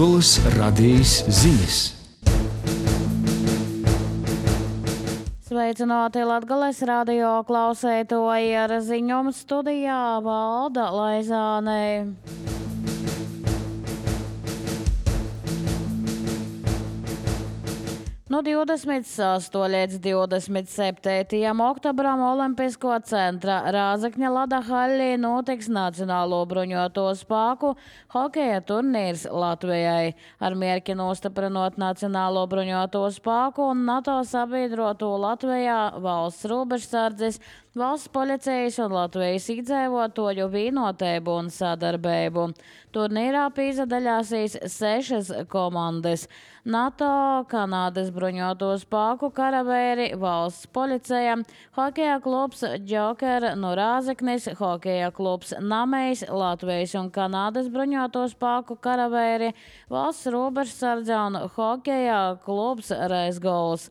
Latgolas radījis ziņas. Sveicināti Latgales radio klausētoji, ar ziņojumu studijā Valda Laizāne. No 26. līdz 27. oktobram Olimpisko centra Rāzakņa Lada Haļlī notiks Nacionālo bruņoto spēku hokeja turnīrs Latvijai. Ar mērķi nostiprinot Nacionālo bruņoto spēku un NATO sabiedroto Latvijā valsts robežsardzes, valsts policijas un Latvijas iedzīvotāju vienotību un sadarbību. Turnīrā piedalīsies 6 komandas – NATO, Kanādas bruņoto spēku karavēri, valsts policija, hokeja klubs Joker no Rāzaknis, hokeja klubs Namejs, Latvijas un Kanādas bruņoto spēku karavēri, valsts robežsardze un hokeja klubs Reizgols.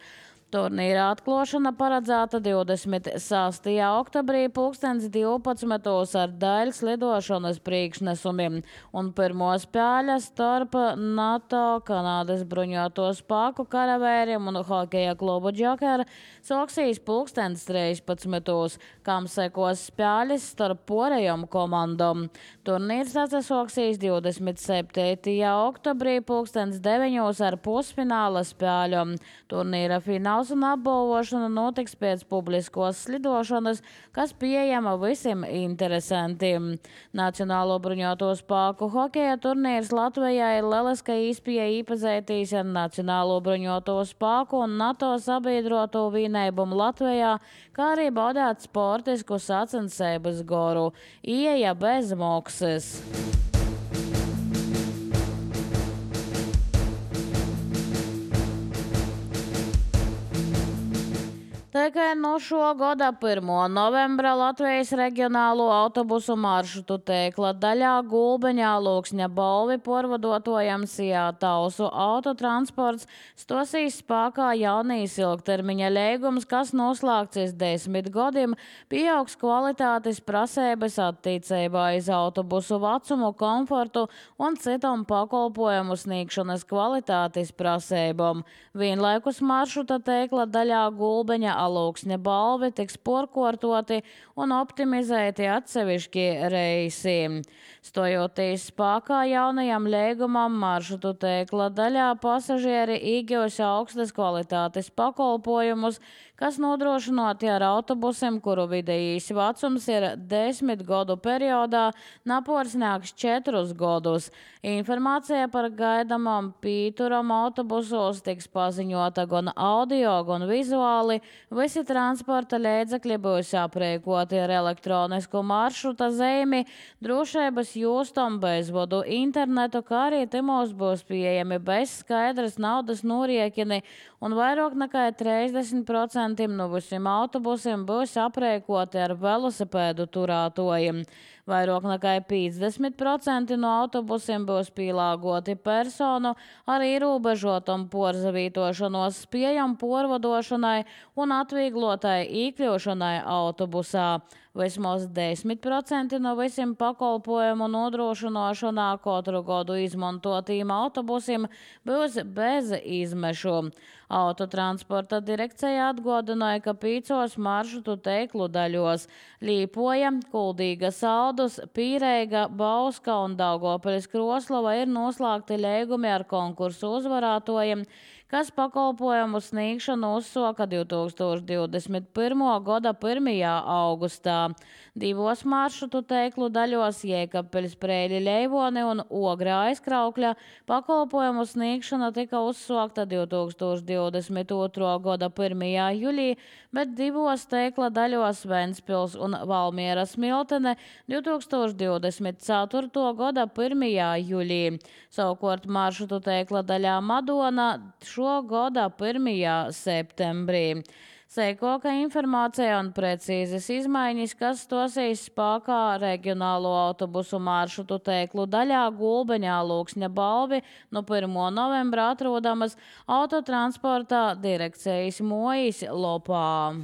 Turnīra atklāšana paredzēta 26. oktobrī 2012. ar daļas lidošanas priekšnesumiem, un pirmo spēle starp NATO, Kanādas bruņoto spēku karavēriem un hokeja klubu Joker sāksies 13. kam sekos spēles starp porējām komandām. Turnīrs atsāksies 27. oktobrī 2009. ar pusfināla spēļiem. Turnīra fināls un apbalvošana notiks pēc publiskos slidošanas, kas pieejama visiem interesantiem. Nacionālo bruņoto spēku hokeja turnīrs Latvijai ir lieliska iespēja iepazīties ar Nacionālo bruņoto spēku un NATO sabiedroto vienībumu Latvijā, kā arī baudīt sportisku sacensības goru. Ieeja bez maksas. Tikai no šā gada 1. novembra Latvijas reģionālo autobusu maršrutu tīkla daļā Gulbeņā Lūksņa Bolvi porvadotojam Tausu autotransports stosīs spēkā jaunīs ilgtermiņa līgums, kas noslēgts 10 gadiem, pieaugs kvalitātes prasības attiecībā uz autobusu vecumu, komfortu un citam pakalpojumu sniegšanas kvalitātes prasībām. Vienlaikus maršruta tīkla daļā Gulbeņa Lūksņa Bolvi tiks porkortoti un optimizēti atsevišķi reisi. Stojoties spēkā jaunajam līgumam, maršrutu tīkla daļā pasažieri iegūs augstas kvalitātes pakalpojumus, kas nodrošināti ar autobusiem, kuru vidējais vecums ir 10 gadu periodā, naporsnāks 4 gadus. Informācija par gaidamām pīturam autobusos tiks paziņota gan audio, gan vizuāli. Visi transporta līdzekļi būs aprēkoti ar elektronisku maršruta zīmi, drošības jūstam, bezvadu internetu, kā arī timos būs pieejami bez skaidras naudas noriekini, un vairāk nekā 30% no visiem autobusiem būs aprēkoti ar velosipēdu turētojiem. Vairāk nekā 50% no autobusiem būs pielāgoti personu ar ierobežotam porzavītošanos spējam porvadošanai un atvieglotai iekļūšanai autobusā. Vismaz 10% no visiem pakalpojumu nodrošināšanā katru gadu izmantotīm autobusiem būs bez izmešu. Autotransporta direkcija atgādināja, ka 5 maršrutu tīklu daļos – Līpoja, Kuldīga, Saldus, Pīreiga, Bauska un Daugopiļas Kroslava – ir noslēgti līgumi ar konkursu uzvarētojiem, kas pakalpojumu sniegšanu uzsāka 2021. gada 1. augustā. 2 maršrutu tīklu daļos Jēkabpeļs, Preļi, Leivoni un Ogra aizkraukļa pakalpojumu sniegšana tika uzsākta 2022. gada 1. jūlijā, bet 2 tīkla daļos Ventspils un Valmiera Smiltene 2024. gada 1. jūlijā. Savukārt maršrutu tīkla daļā Madona šo gada 1. septembrī. Sekoka informācija un precīzas izmaiņas, kas stosīs spēkā regionālo autobusu maršrutu tīklu daļā Gulbeņā Lūksņa Bolvi no 1. novembra atrodamas autotransporta direkcijas mojas lopā.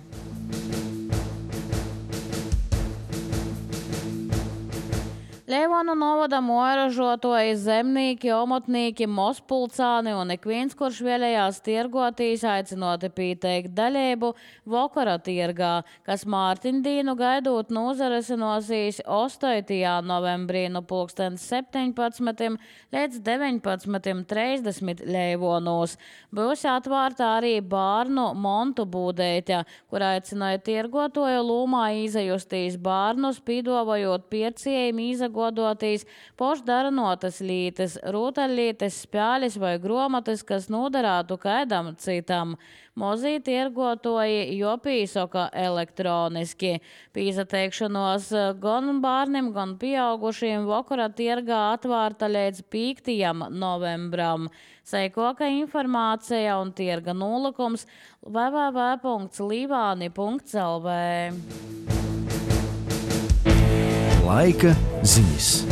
Leivonu novada moražotoji, zemnīki, omotnīki, mospulcāni un ik viens, kurš vēlējās tirgotīs, aicinoti pieteikt daļību vokara tirgā, kas Mārtiņdīnu gaidot nozaresinosīs 8. novembrī no 17. līdz 19.30 Leivonos. Būs atvārta arī bārnu montu būdeitja, kur aicināja tirgotoju lūmā izajustīs bārnus, pīdovojot piercējiem izagodotīs pošdaranotas lītes, rūtaļlītes, spēlis vai gromatas, kas nodarātu kaidam citam. Mozī tirgotoji jopīsoka elektroniski. Pīzateikšanos gan bārnim, gan pieaugušiem vokara tirgā atvārta līdz 5. novembram. Seikoka informācija un tirga nolūkums www.livani.lv. Laika ziņas.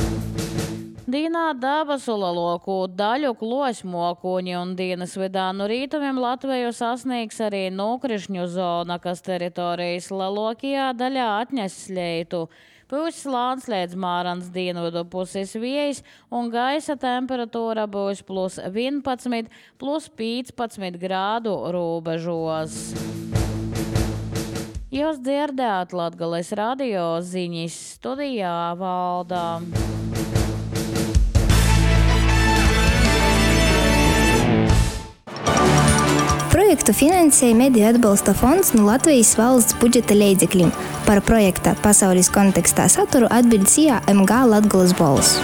Dīnā dabasula loku daļu klosmokuņi un dienas vidā no rītumiem Latviju sasniegs arī nokrišņu zona, kas teritorijas lielākajā daļā atņes sleitu. Būs slāns līdz Mārans dienvidu puses vējs un gaisa temperatūra būs +11, +15 grādu robežos. Jūs dzirdējāt Latgales radio ziņas, studijā Valda. Projektu finansēja Mediju atbalsta fonds no Latvijas valsts budžeta līdzekļiem. Par projekta pasaules kontekstā saturu atbild MG Latgales balss.